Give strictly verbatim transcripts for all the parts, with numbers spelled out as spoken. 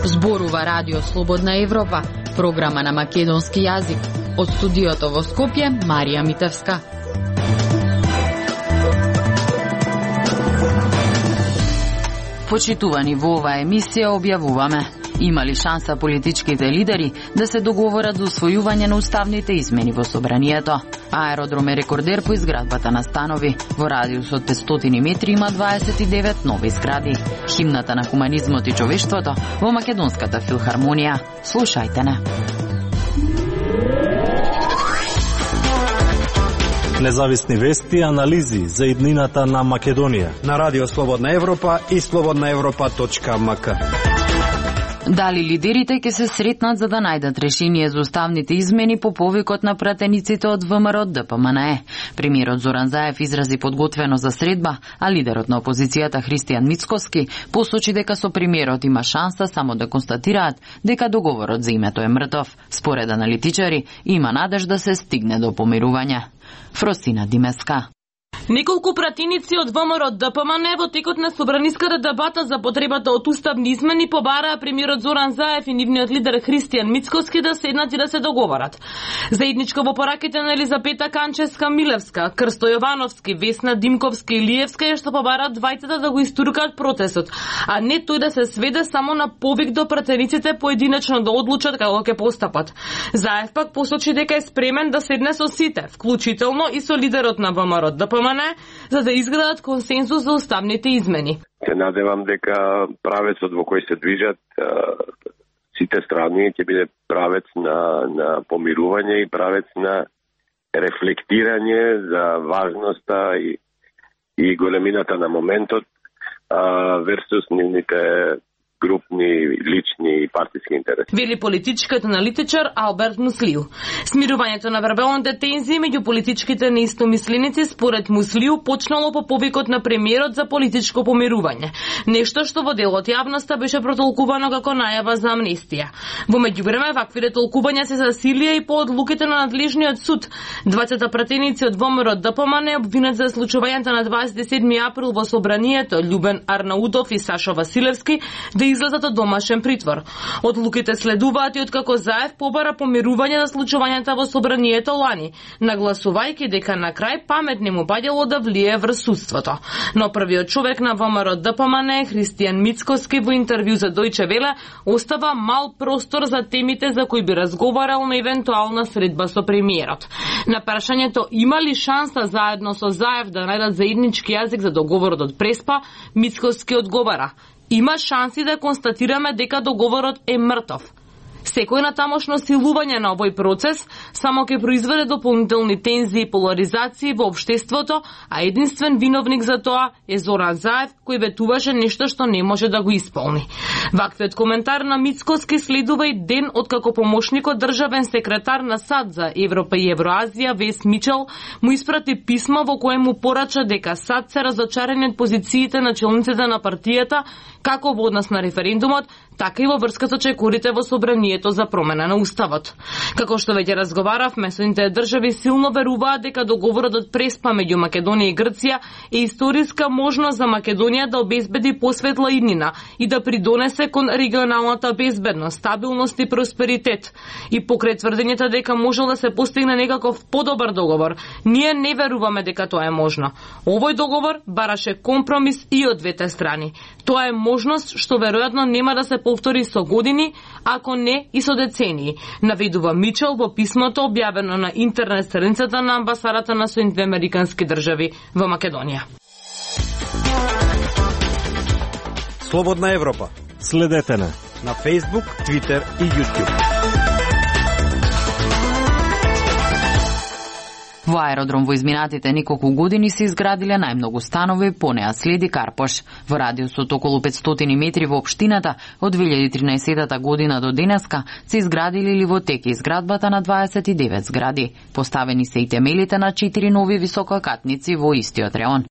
Зборува Радио Слободна Европа, програма на македонски јазик. Од студиото во Скопје, Марија Митевска. Почитувани, во оваа емисија објавуваме: има ли шанса политичките лидери да се договорат за усвојување на уставните измени во собранието? Аеродром е рекордер по изградбата на станови. Во радиус од петстотини метри има дваесет и девет нови згради. Химната на хуманизмот и човештвото во Македонската филхармонија. Слушајте не. Независни вести и анализи за иднината на Македонија на Радио Слободна Европа и слободна европа точка ем ка. Дали лидерите ќе се сретнат за да најдат решение за уставните измени по повикот на пратениците од ВМРО Д П М Н Е? Премиерот Зоран Заев изрази подготвено за средба, а лидерот на опозицијата Христијан Мицкоски посочи дека со премиерот има шанса само да констатираат дека договорот за името е мртов. Според аналитичари, има надеж да се стигне до помирување. Фросина Димеска. Неколку пратеници од Вэ М Р Д П М Н Е во текот на собраниската дебата за потребата од уставни измени побараа премиерот Зоран Заев и нивниот лидер Христијан Мицкоски да седнат и да се договорат. Заедничко во пораките на Елизапета Канчевска-Милевска, Крсто Јовановски, Весна Димковска и Илиевска е што побараат двајцата да го истуркаат процесот, а не тој да се сведе само на повик до пратениците поединечно да одлучат како ќе постапат. Заев пак посочи дека е спремен да седне со сите, вклучително и со лидерот на Вэ М Р Д П М Н Е, за да изградат консензус за уставните измени. Се надевам дека правецот во кој се движат сите страни ќе биде правец на, на помирување и правец на рефлектирање за важноста и, и големината на моментот версус нивните групни, лични и партиски интереси. Вели политичкиот аналитичар Алберт Муслиу. Смирувањето на вербалните тензии меѓу политичките неистомисленици според Муслиу почнало по повикот на премиерот за политичко помирување. Нешто што во дел од јавноста беше протолкувано како најава за амнестија. Во меѓувреме ваквите толкувања се засилија и по одлуките на надлежниот суд. Двајцата пратеници од Вэ М Р Д П М Н Е обвинат за случувањето на дваесет и седми април во собранието Љубен Арнаутов и Сашо Василевски да излезат од домашен притвор. Одлуките следуваат и откако Заев побара помирување за случувањата во собранието лани, нагласувајќи дека на крај памет не му паѓало да влие врз судството. Но првиот човек на Вэ М Р Д П М Н Е, Христијан Мицкоски, во интервју за Дојче Веле, остава мал простор за темите за кои би разговарал на евентуална средба со премиерот. На прашањето има ли шанса заедно со Заев да најдат заеднички јазик за договорот од Преспа, Мицкоски одговара: има шанси да констатираме дека договорот е мртов. Секој натамошно силување на овој процес само ќе произведе дополнителни тензии и поларизации во општеството, а единствен виновник за тоа е Зоран Заев, кој ветуваше нешто што не може да го исполни. Ваквиот коментар на Мицкоски следува и ден откако помошникот државен секретар на САД за Европа и Евроазија Вес Мичел му испрати писмо во кое му порача дека САД се разочарени од позициите на челниците на партијата како во однос на референдумот, така и во врска со чекорите во собранието за промена на уставот. Како што веќе разговаравме, соединетите држави силно веруваат дека договорот од Преспа меѓу Македонија и Грција е историска можност за Македонија да обезбеди посветла иднина и да придонесе кон регионалната безбедност, стабилност и просперитет. И покрај тврдењето дека можел да се постигне некаков подобар договор, ние не веруваме дека тоа е можно. Овој договор бараше компромис и од двете страни. Тоа е можност што веројатно нема да се повтори со години, ако не и со децении, наведува Мичел во писмото објавено на интернет страницата на амбасадата на Соединетите американски држави во Македонија. Слободна Европа. Следете на на Facebook, Twitter и YouTube. Во аеродром во изминатите неколку години се изградиле најмногу станови, по неа следи Карпош. Во радиусот околу петстотини метри во општината од две илјади и тринаесетта година до денеска се изградили или во тек изградбата на дваесет и девет згради. Поставени се и темелите на четири нови висококатници во истиот реон.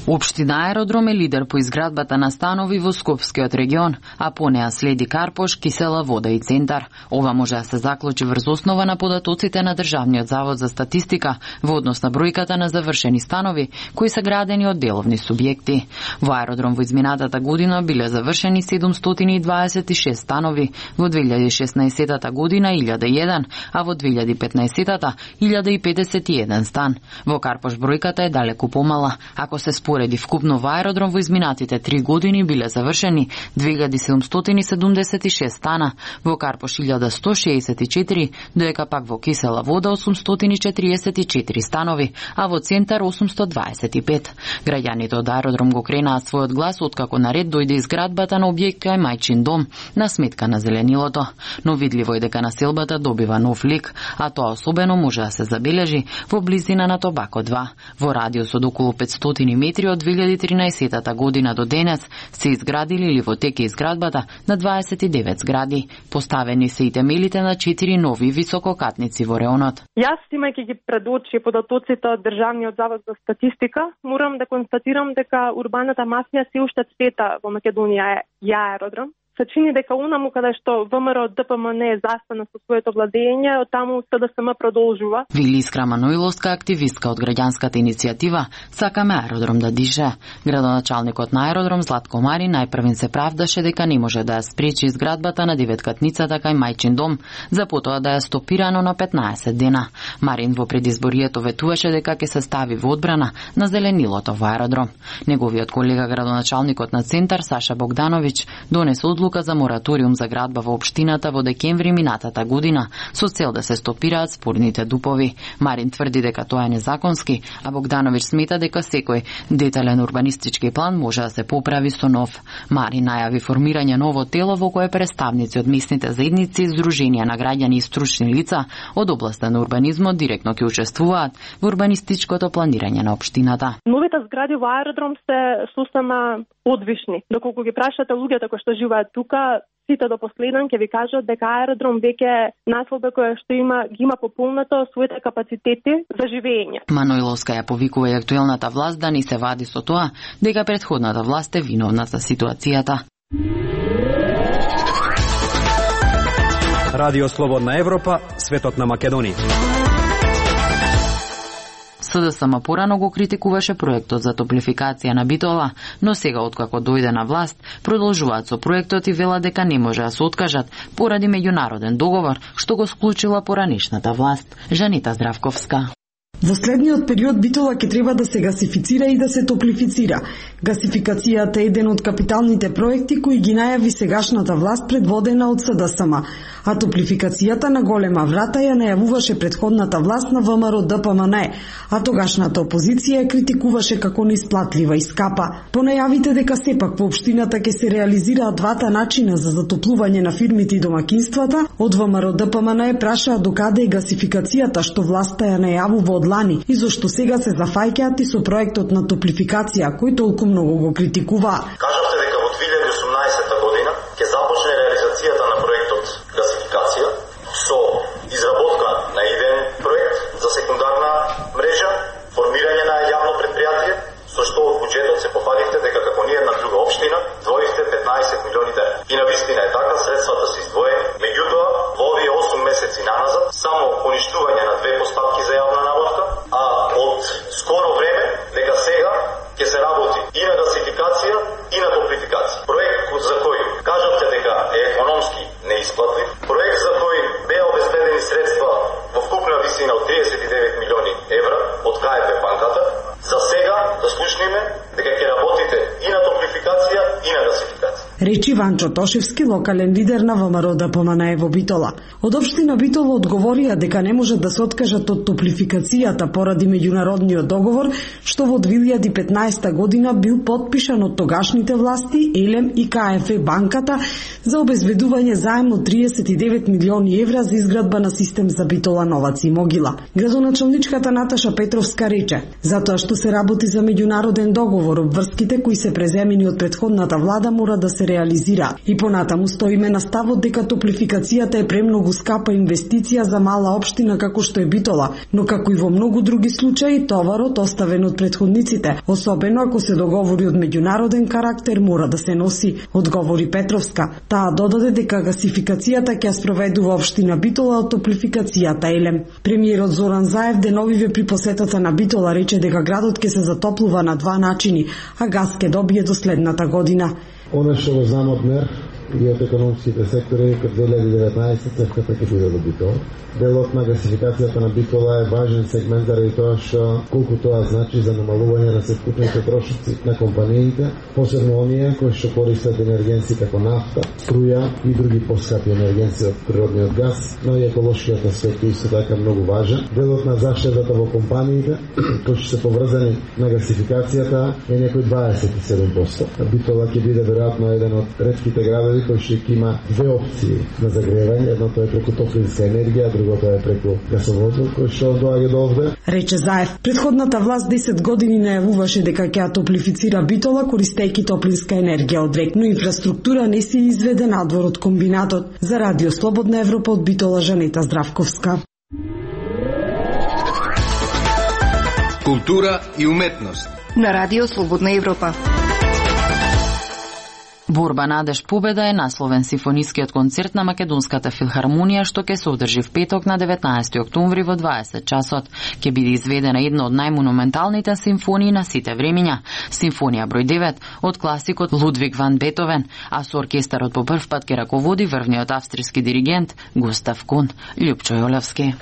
Општина Аеродром е лидер по изградбата на станови во Скопскиот регион, а по неа следи Карпош, Кисела вода и Центар. Ова може да се заклучи врз основа на податоците на Државниот завод за статистика во однос на бројката на завршени станови кои се градени од деловни субјекти. Во Аеродром во изминатата година биле завршени седумстотини и дваесет и шест станови, во две илјади и шеснаесетта година илјада и еден, а во две илјади и петнаесетта илјада и педесет и еден стан. Во Карпош бројката е далеку помала. Ако се спореди вкупно во Аеродром во изминатите три години биле завршени две илјади седумстотини седумдесет и шест стана, во Карпош илјада сто шеесет и четири, доека пак во Кисела вода осумстотини четириесет и четири станови, а во Центар осумстотини дваесет и пет. Граѓаните од Аеродром го кренаа својот глас откако наред дојде изградбата на објект кај Мајчин дом на сметка на зеленилото. Но видливо е дека населбата добива нов лик, а тоа особено може да се забележи во близина на Тобако два. Во радиус од околу петстотини метри од две илјади и тринаесетта година до денес се изградили или во теке изградбата на дваесет и девет згради. Поставени се и темелите на четири нови висококатници во реонот. Јас, имајќи ги пред очи податоците од Државниот завод за статистика, морам да констатирам дека урбаната мафија се уште цвета во Македонија е Аеродром. Се чини дека унаму каде што ВМРО ДПМН е застана со своето владење, од таму СДСМ продолжува. Вили Искра Маноиловска, активистка од граѓанската иницијатива Сакаме Аеродром да дише. Градоначалникот на Аеродром Златко Марин најпрвен се правдаше дека не може да ја спречи изградбата на деветкатницата кај Мајчин дом, за потоа да ја стопирано на петнаесет дена. Марин во предизборието ветуваше дека ќе се стави во одбрана на зеленилото во Аеродром. Неговиот колега градоначалникот на Центар Саша Богдановиќ донесе одлука за мораториум за градба во општината во декември минатата година со цел да се стопираат спорните дупови. Марин тврди дека тоа е незаконски, а Богдановиќ смета дека секој детален урбанистички план може да се поправи со нов. Марин најави формирање ново тело во кое представници од местните заедници, здруженија на граѓани и стручни лица од областта на урбанизмот директно ќе учествуваат во урбанистичкото планирање на општината. Новите згради во Аеродром се сосема одвишни. Доколку ги прашате луѓето кои што живеат тука, сите до последен ќе ви кажат дека Аеродром веќе населба која што има ги има пополнато своите капацитети за живење. Маноиловска ја повикува и актуелната власт да не се вади со тоа дека претходната власт е виновна за ситуацијата. Радио Слободна Европа, светот на Македонија. СДСМ порано го критикуваше проектот за топлификација на Битола, но сега откако дојде на власт, продолжуваат со проектот и велат дека не може да се откажат поради меѓународен договор што го склучила поранешната власт. Жанита Здравковска. Во следниот период Битола ќе треба да се гасифицира и да се топлифицира. Гасификацијата е еден од капиталните проекти кои ги најави сегашната власт предводена од СДСМ, а топлификацијата на Голема врата ја најавуваше предходната власт на ВМРО ДПМН, а тогашната опозиција ја критикуваше како неисплатлива и скапа. По најавите дека сепак во општината ќе се реализираат двата начина за затоплување на фирмите и домакинствата, од ВМРО ДПМН е прашаа докаде е гасификацијата што власта ја најавува од лани и зошто сега се зафаќаат и со проектот на топлификација кој толку многу го критикуваа. Кажавте дека во две илјади и осумнаесетта година ќе започне реализацијата на проектот гасификација со изработка на идеен проект за секундарна мрежа, формирање на јавно предпријатие, со што од буџетот се пофалихте дека како ние на друга општина двоивте петнаесет милиони дена. И на вистина е така, средствата се издвоени, меѓутоа во овие осум месеци наназад само уништување на две поставки за јавна набавка, а од скоро време дека сега ќе се работи и на гасификација и на топлификација. Проект за кој кажавте дека е економски неисплатлив, проект за кој беа обезбедени средства во вкупна висина од триесет и девет милиони евра од КФ банката, за сега да слушниме дека ќе работите и на топлификација и на гасификација. Речи Ванчо Тошевски, локален лидер на ВМРО ДПМН во Битола. Од општина Битола одговорија дека не можат да се откажат од топлификацијата поради меѓународниот договор што во две илјади и петнаесетта година бил потпишан од тогашните власти, Елем и КФ банката за обезбедување заем од триесет и девет милиони евра за изградба на систем за Битола, Новац и Могила. Градоначалничката Наташа Петровска рече: затоа што се работи за меѓународен договор, обврските кои се преземени од претходната влада мора да се реализираат анализира. И понатаму стоиме на ставот дека топлификацијата е премногу скапа инвестиција за мала општина како што е Битола, но како и во многу други случаи товарот оставен од претходниците, особено ако се договори од меѓународен карактер, мора да се носи, одговори Петровска. Таа додаде дека гасификацијата ќе спроведува општина Битола од топлификацијата Елем. Премиерот Зоран Заев деновиве при посетата на Битола рече дека градот ќе се затоплува на два начини, а газ ќе добие до следната година. Оно што го знам од МЕР и од економските сектори, кај две илјади и деветнаесетта цевката ќе биде до Битола. Делот на гасификацијата на Битола е важен сегмент заради тоа што колку тоа значи за намалување на севкупните трошоци на компаниите, посебно оние кои што користат енергенци како нафта, струја и други поскапи енергенци од природниот газ, но и еколошкиот аспект е исто така многу важен. Делот на заштедата во компаниите кои што се поврзани на гасификацијата е некој дваесет и седум проценти. Битола ќе биде веројатно еден од ретките градови кој што има две опции на загревање, едното е преку топлинска енергија, другото е преку гасоводот кој што доаѓа до овде. Рече Заев, предходната власт десет години најавуваше дека ќе ја топлифицира Битола користејќи топлинска енергија од рек, но инфраструктура не се изведе надвор од комбинатот. За Радио Слободна Европа од Битола, Жанета Здравковска. Култура и уметност на Радио Слободна Европа. Борба, надеж, победа е насловен симфонискиот концерт на Македонската филхармонија што ќе се одржи в петок на деветнаесети октомври во дваесет часот. Ќе биде изведена една од најмонументалните симфонии на сите времиња, симфонија број девет од класикот Лудвиг ван Бетовен, а со оркестарот по прв пат ќе раководи врвниот австријски диригент Густав Кун. Љупчо Јолевски.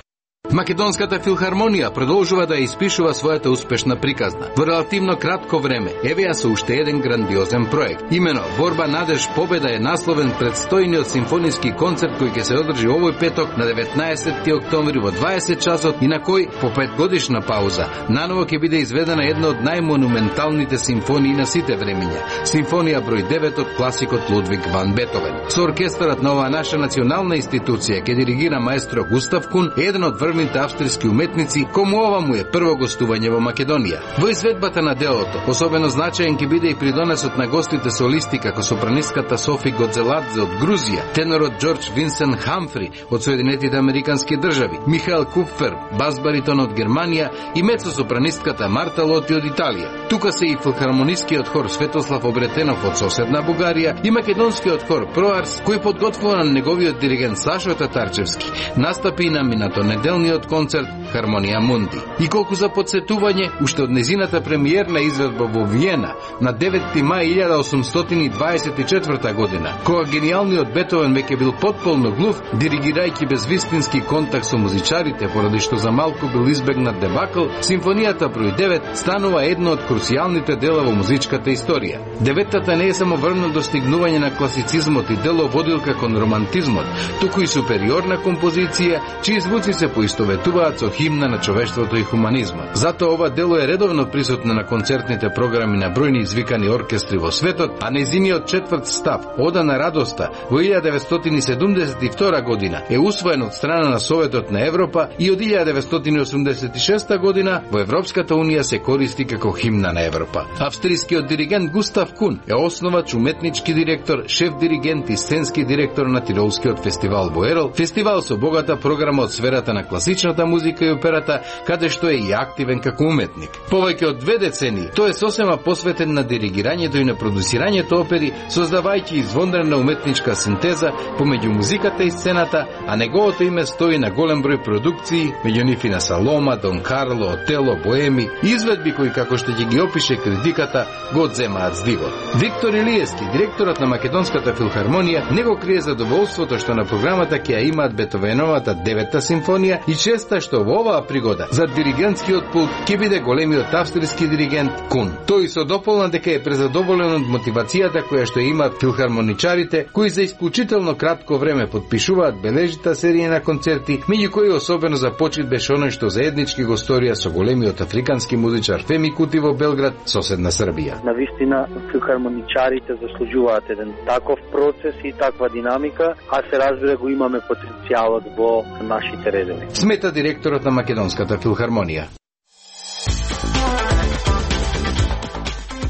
Македонската филхармонија продолжува да испишува својата успешна приказна. Во релативно кратко време, еве ја со уште еден грандиозен проект. Имено Борба, надеж, победа е насловен предстојниот симфониски концерт кој ќе се одржи овој петок на деветнаесети октомври во дваесет часот и на кој, по петгодишна пауза, наново ќе биде изведена една од најмонументалните симфонии на сите времиња. Симфонија број девет од класикот Лудвиг ван Бетовен. Со оркестарот на оваа наша национална институција ќе диригира маестро Густав Кун, еден од врвните австрийски уметници, кому ова му е прво гостување во Македонија. Во изведбата на делото, особено значаен ќе биде и придонесот на гостите солисти како сопранистката Софи Годзеладзе од Грузија, тенорот Џорџ Винсент Хамфри од Соединетите Американски држави, Михаел Купфер, бас-баритон од Германија и мецо-сопранистката Марта Лоти од Италија. Тука се и филхармонискиот хор Светослав Обретенов од соседна Бугарија и македонскиот хор Проарс, кој подготвува на неговиот диригент Сашо Татарчевски. Настапи на минато неделниот концерт Хармонија Мунди. И колку за подсетување, уште од незината премиерна изведба во Виена на деветти мај илјада осумстотини и дваесет и четврта година, кога гениалниот Бетовен веќе бил потполно глув, диригирајќи без вистински контакт со музичарите, поради што за малку бил избегнат дебакл, симфонијата број девет станува едно од крусијалните дела во музичката историја. Деветтата не е само врвно достигнување на класицизмот и дело водилка кон романтизмот, туку и супериорна композиција, чии звуци се поистоветуваат со химна на човештвото и хуманизмот. Затоа ова дело е редовно присутно на концертните програми на бројни извикани оркестри во светот, а незиниот четврт став, Ода на радоста, во илјада деветстотини седумдесет и втора година е усвоен од страна на Советот на Европа и од илјада деветстотини осумдесет и шеста година во Европската унија се користи како химна на Европа. Австријскиот диригент Густав Кун е основач, уметнички директор, шеф диригент и сценски директор на Тиролскиот фестивал во Ерол, фестивал со богата програма од сферата на класичната музика и операта, каде што е и активен како уметник. Повеќе од две децении, тој е сосема посветен на диригирањето и на продуцирањето опери, создавајќи извонредна уметничка синтеза помеѓу музиката и сцената, а неговото име стои на голем број продукции, меѓу нив и на Салома, Дон Карло, Отело, Боеми, изведби кои, како што ќе ги опише критиката, го одземаат здивот. Виктор Илиевски, директорот на Македонската филхармонија, не го крие задоволството што на програмата ќе ја имаат Бетовеновата девета симфонија и честа што во оваа пригода за диригентскиот пулт ќе биде големиот австријски диригент Кун. Тој се дополна дека е презадоволен од мотивацијата која што имаат филхармоничарите, кои за исклучително кратко време подпишуваат бележита серија на концерти, меѓу кои особено за почит беше оној што заеднички го сторија со големиот африкански музичар Феми Кути во Белград, соседна Србија. Навистина филхармоничарите заслужуваат еден таков процес и таква динамика, а се разбира го имаме потенцијалот во нашите редови. Смета директорот на Македонската филхармонија.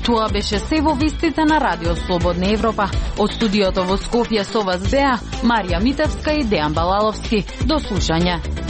Тоа беше се во вестите на Радио Слободна Европа. Од студиото во Скопје со вас беа Марија Митевска и Дејан Балаловски. До слушање.